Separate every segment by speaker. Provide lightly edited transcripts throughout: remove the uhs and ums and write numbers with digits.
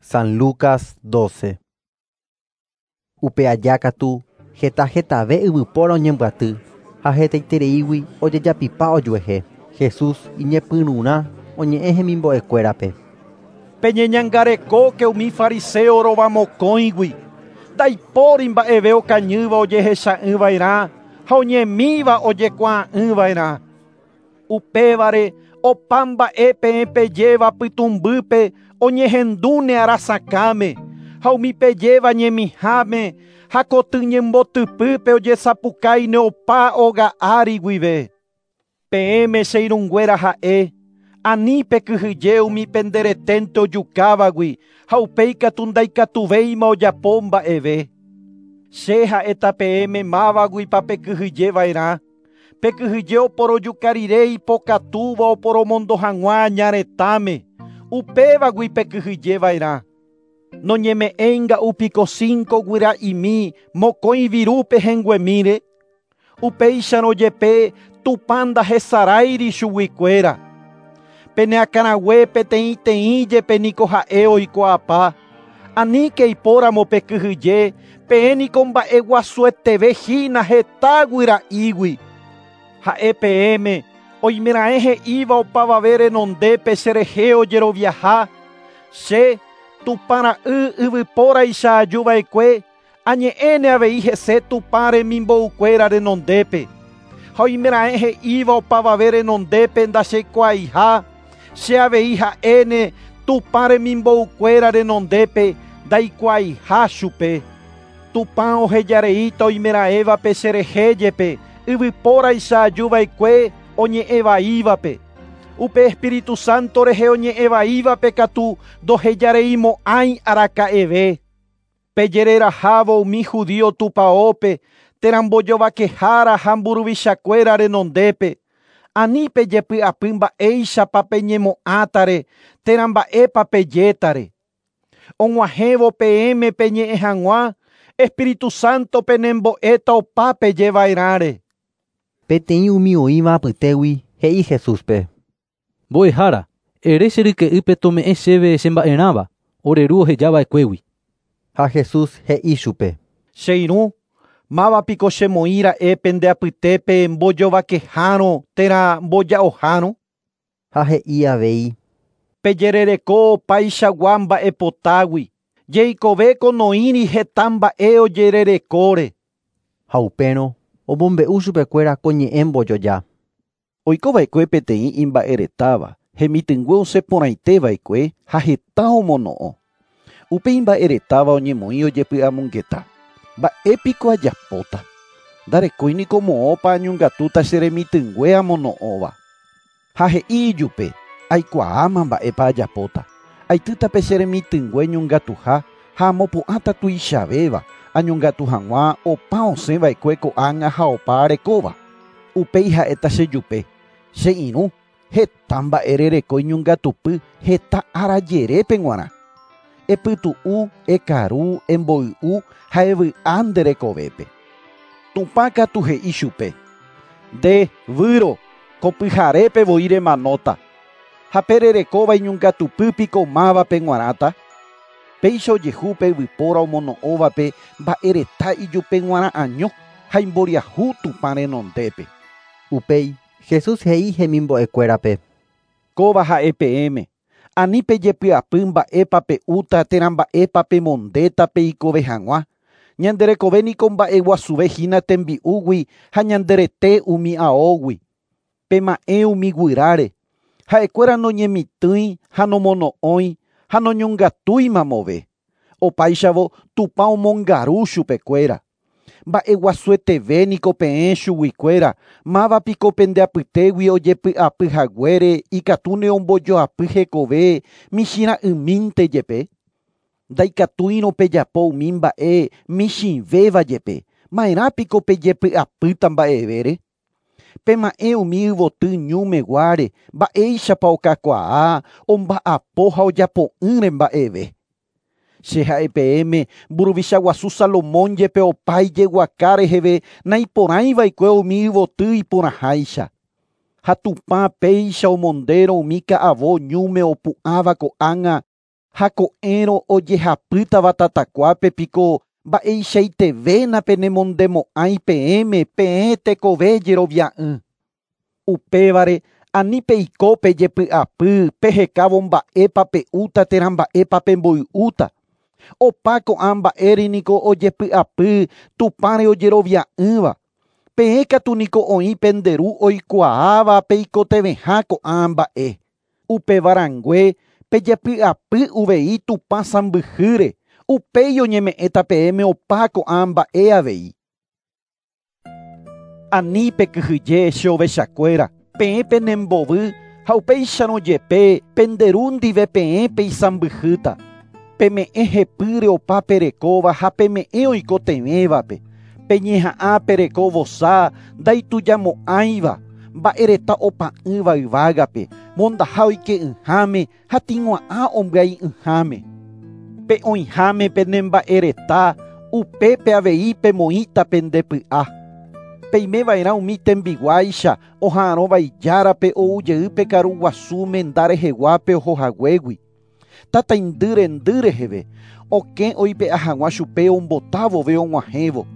Speaker 1: San Lucas 12. Upe aja katu heta hetave yvypóra oñembyaty ha hetaitereígui ojejapipa ojuehe. Jesús iñepyrũrã oñe'ẽ hemimbo'ekuérape.
Speaker 2: Peñeñangarekóke umi fariseo rovamokõigui. Ndaipóri mba'eve okañýva ojehecha'ỹva'erã ha oñemíva ojekuaa'ỹva'erã. Upévare opa mba'e peẽ pejéva pytũmbýpe oñehendúne arasakãme ha umi pejéva ñemiháme ha koty ñembotypýpe ojesapukáine opa óga ári guive. Peẽme che irũnguéra ha'e, ani pekyhyje umi pendereténte ojukávagui ha upéi katu ndaikatuvéima ojapo mba'eve. Che ha'éta peẽme mávaguipa pekyhyjeva'erã. Pekyhyje oporojuka rire ipokatúva oporomondo hag̃ua añaretãme. Upévagui pekyhyjeva'erã. Noñeme'ẽinga'u piko 5 guyra'imi mokõi viru pehẽnguemíre. Upéicharõ jepe Tupã ndahesaráiri chuguikuéra. Peneakãrague peteĩteĩ jepe niko ha'e oikuaapa. Aníke ipóramo pekyhyje, peẽ niko mba'eguasueteve hína heta guyra'ígui. Ha'e peẽme oimeraẽ he'íva opavave renondépe cherehe ojeroviaha. Che Tupã ra'y yvypóraicha ajuva'ekue, añe'ẽne avei hese Tupã remimboukuéra renondépe. Ha oimeraẽ he'íva opavave renondépe ndacheikuaaiha, che avei ha'éne Tupã remimboukuéra renondépe ndaikuaaiha chupe. Tupã ohejareíta oimeraẽvape cherehe jepe yvypóraicha ajuva'ekue oñe'ẽvaívape. Upe Espíritu Santo rehe oñe'ẽvaívape katu ndohejareimo'ãi araka'eve. Pejererahávo umi judío tupaópe térã mbojovakehára ha mburuvichakuéra renondépe. Ani pejepy'apy mba'éichapa peñemo'ãtare térã mba'épa pejétare. Og̃uahẽvo peẽme peñe'ẽ hag̃ua, Espíritu Santo penembo'éta opa pejeva'erãre.
Speaker 1: Peteĩ umi oĩva apytégui he'i Jesúspe.
Speaker 3: Mbo'ehára, ere che ryke'ýpe tome'ẽ chéve chemba'erãva, ore ru ohejava'ekuégui.
Speaker 1: Ha Jesús he'i chupe.
Speaker 2: Che irũ, mávapiko chemoĩra'e pende apytépe mbojovakehárõ térã mboja'ohárõ.
Speaker 1: Ha he'i avei.
Speaker 2: Pejerereko opaichagua mba'epotágui. Jeikovéko noĩri heta mba'e ojererekóre.
Speaker 1: Ha upérõ omombe'u chupekuéra ko ñe'ẽ mbojoja.
Speaker 2: Oikova'ekue peteĩ imba'eretáva, hemitỹngue osẽporãiteva'ekue ha heta omono'õ. Upe imba'eretáva oñemoĩ ojepy'amongeta. Mba'épiko ajapóta. Ndarekóiniko moõpa añongatúta che remitỹngue amono'õva. Ha he'i ijupe, aikuaáma mba'épa ajapóta. Aitýtape che remitỹngue ñongatuha ha amopu'ãta tuichavéva añongatu hag̃ua opa osẽva'ekue ko'ág̃a ha opa arekóva. Upéi ha'éta chejupe, che irũ, heta mba'e rereko iñongatupy heta ára jerépe g̃uarã. Epytu'u, ekaru, emboy'u ha evy'a nde rekovépe. Tupã katu he'i chupe. Nde, výro, ko pyharépe voi remanóta. Ha pe rerekóva iñongatupýpiko mávape g̃uarãta. Péicha ojehu pe yvypóra omono'õvape mba'ereta ijupe g̃uarã año ha imboriahu Tupã renondépe.
Speaker 1: Upéi Jesús he'i hemimbo'ekuérape.
Speaker 2: Kóva ha'e peẽme. Ani pejepy'apy mba'épa pe'úta térã mba'épa pemondéta peikove hag̃ua. Ñanderekove niko mba'eguasuve hína tembi'úgui ha ñanderete umi aógui. Pema'ẽ umi guyráre. Ha'ekuéra noñemitỹi ha nomono'õi ha noñongatúi mamove. Opáichavo Tupã omongaru chupekuéra. Mba'eguasueteve niko peẽ chuguikuéra, mávapiko pende apytégui ojepy'apy haguére ikatúne ombojoapy hekove michĩra'ymínte jepe. Ndaikatúirõ pejapo umi mba'e michĩvéva jepe, ma'erãpiko pejepy'apýta mba'evére. Pema'ẽ umi yvoty ñúmeguáre, mba'éichapa okakuaa, omba'apo ha ojapo'ỹre mba'eve. Che ha'e peẽme mburuvicha guasu Salomón jepe opa ijeguaka reheve naiporãiva'ekue umi yvoty iporãháicha. Ha Tupã péicha omondérõ umi ka'avo ñúme opu'ãva ko'ág̃a Ha ko'ẽrõ ojehapýtava tatakuápe piko mba'eichaitevéna penemondemo'ãi peẽme peẽ tekove jerovia'ỹ. Upévare ani peiko pejepy'apy pehekávo mba'épa pe'úta térã mba'épa pemboy'úta. Opa ko'ã mba'ére niko ojepy'apy Tupãre ojerovia'ỹva. Peẽ katu niko oĩ pende ru oikuaáva peikotevẽha ko'ã mba'e. Upevarãngue pejepy'apy uvei Tupã sãmbyhýre, upéi oñeme'ẽta peẽme opa ko'ã mba'e avei. Ani pekyhyje che ovechakuéra, peẽ penembovy ha upéicharõ jepe pende ru ndive peẽ peisãmbyhýta. Peme'ẽ hepýre opa perekóva ha peme'ẽ oikotevẽvape. Peñeha'ã pereko vosa ndaitujamo'ãiva, mba'ereta opa'ỹva yvágape, mondaha oike'ỹháme ha tĩgua'ã ombyai'ỹháme. Pe oĩháme penemba'ereta, upépe avei pemoĩta pendepy'a. Peimeva'erã umi tembiguáicha oha'arõva ijárape oujey pe karu guasu menda reheguápe ohohaguégui. Tataindy rendy reheve, okẽ oipe'a hag̃ua chupe ombotávove og̃uahẽvo.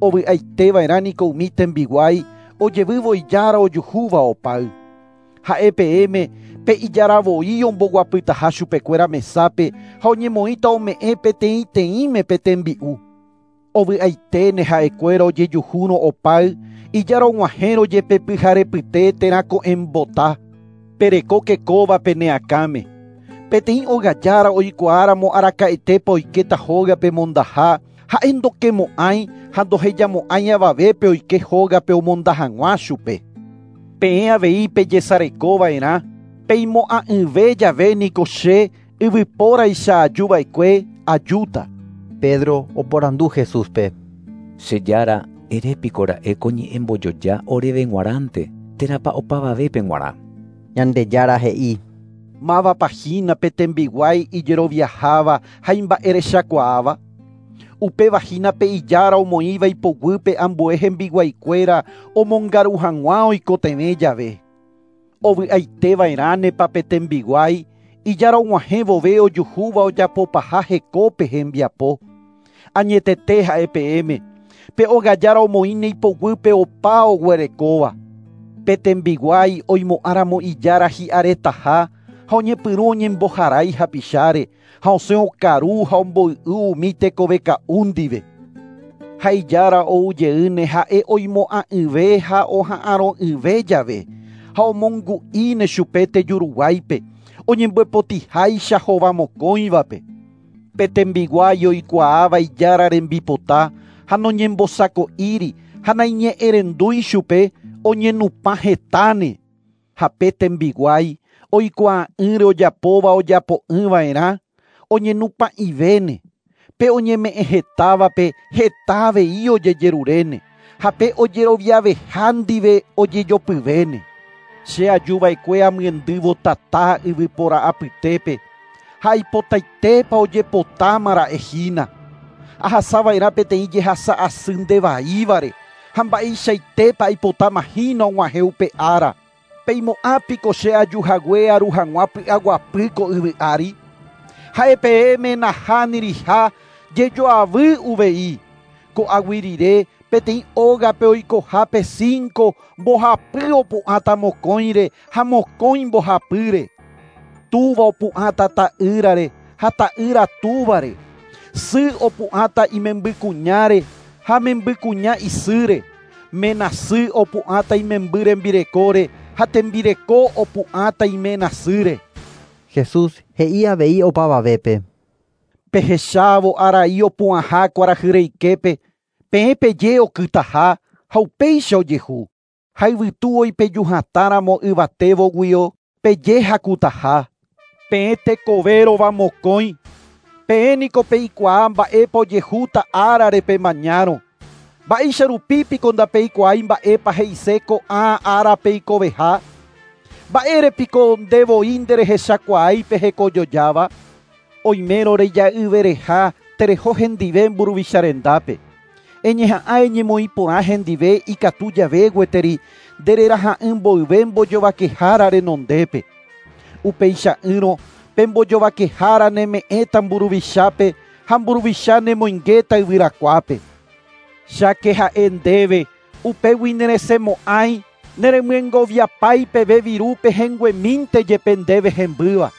Speaker 2: Ovy'aiteva'erã niko umi tembiguái ojevývo ijára ojuhúva opáy. Ha'e peẽme pe ijaravoi omboguapytaha chupekuéra mesápe ha oñemoĩta ome'ẽ peteĩteĩme pe tembi'u. Ovy'aiténe ha'ekuéra ojejuhúrõ opáy ijára og̃uahẽrõ jepe pyharepyte térã ko'ẽmbota. Perekóke kóva pene akãme. Peteĩ ogajára oikuaáramo araka'etépa oikéta hógape mondaha, ha'e ndokemo'ãi ha ndohejamo'ãi avavépe oike hógape omonda hag̃ua chupe. Peẽ avei pejesarekova'erã, peimo'ã'ỹve jave niko che yvypóraicha ajuva'ekue ajúta.
Speaker 1: Pedro oporandu Jesúspe.
Speaker 4: Che Jára, erépiko ra'e ko ñe'ẽ mbojoja oréve g̃uarãnte, térãpa opavavépe g̃uarã.
Speaker 1: Ñandejára he'i.
Speaker 2: Mávapa hína pe tembiguái ijeroviaháva ha imba'erechakuaáva. Upéva hína pe ijára omoĩva ipoguýpe ambue hembiguaikuéra omongaru hag̃ua oikotevẽ jave. Ovy'aiteva'erãnepa pe tembiguái ijára og̃uahẽ vove ojuhúva ojapopaha hekópe hembiapo. Añetete ha'e peẽme, pe ogajára omoĩne ipoguýpe opa oguerekóva. Pe tembiguái oimo'ãramo ijára hi'aretaha ha oñepyrũ oñemboharái hapicháre ha osẽ okaru ha omboy'u umi tekoveka'u ndive. Ha ijára oujeýne ha'e oimo'ã'ỹve ha oha'arõ'ỹve jave ha omongu'íne chupe tejuruguáipe oñemboepotiháicha hovamokõivape. Pe tembiguái oikuaáva ijára rembipota ha noñembosako'íri ha naiñe'ẽrendúi chupe oñenupã hetáne. Ha pe tembiguái oikuaa'ỹre ojapóva ojapo'ỹva'erã oñenupã'ivéne. Pe oñeme'ẽ hetávape heta avei ojejeruréne ha pe ojeroviaveha ndive ojejopyvéne. Che ajuva'ekue amyendývo tata yvypóra apytépe ha aipotaitépa ojepotámara'e hína. Ahasava'erã peteĩ jehasa asy ndevaívare ha mba'eichaitépa aipotáma hína og̃uahẽ upe ára. Peimo'ã piko che ajuhague aru hag̃ua py'aguapy ko yvy ári. Ha'e peẽme nahániriha jejoavy uvei. Ko'águi rire peteĩ ógape oikohápe 5 mbohapy opu'ãta mokõire ha mokõi mbohapýre. Túva opu'ãta ta'ýrare ha ta'ýra túvare. Sy opu'ãta imembykuñáre ha membykuña isýre. Ména sy opu'ãta imemby rembirekóre ha tembireko opu'ãta iména sýre.
Speaker 1: Jesús he'i avei opavavépe.
Speaker 2: Pehechávo arai opu'ãha kuarahyreiképe, peẽ peje okytaha ha upéicha ojehu. Ha yvytu oipejuhatãramo yvatévoguio peje hakutaha. Peẽ tekovérova mokõi. Peẽ niko peikuaa mba'épa ojehúta árare pemañárõ. Mba'éicha rupi piko ndapeikuaái mba'épa he'ise ko'ã ára peikoveha. Mba'ére piko ndevoi nderehechakuaái pe hekojojáva. Oimérõ reja'yvereha tereho hendive mburuvicha rendápe. Eñeha'ã eñemoĩ porã hendive ikatu jave gueteri ndereraha'ỹ mboyve mbojovakehára renondépe. Upeicha'ỹrõ Pe mbojovakehára neme'ẽta mburuvichápe ha mburuvicha nemoingéta yvyrakuápe. Cháke ha'e ndéve upégui neresẽmo'ãi neremyengoviapái peve viru pehẽnguemínte jepe ndéve hembýva.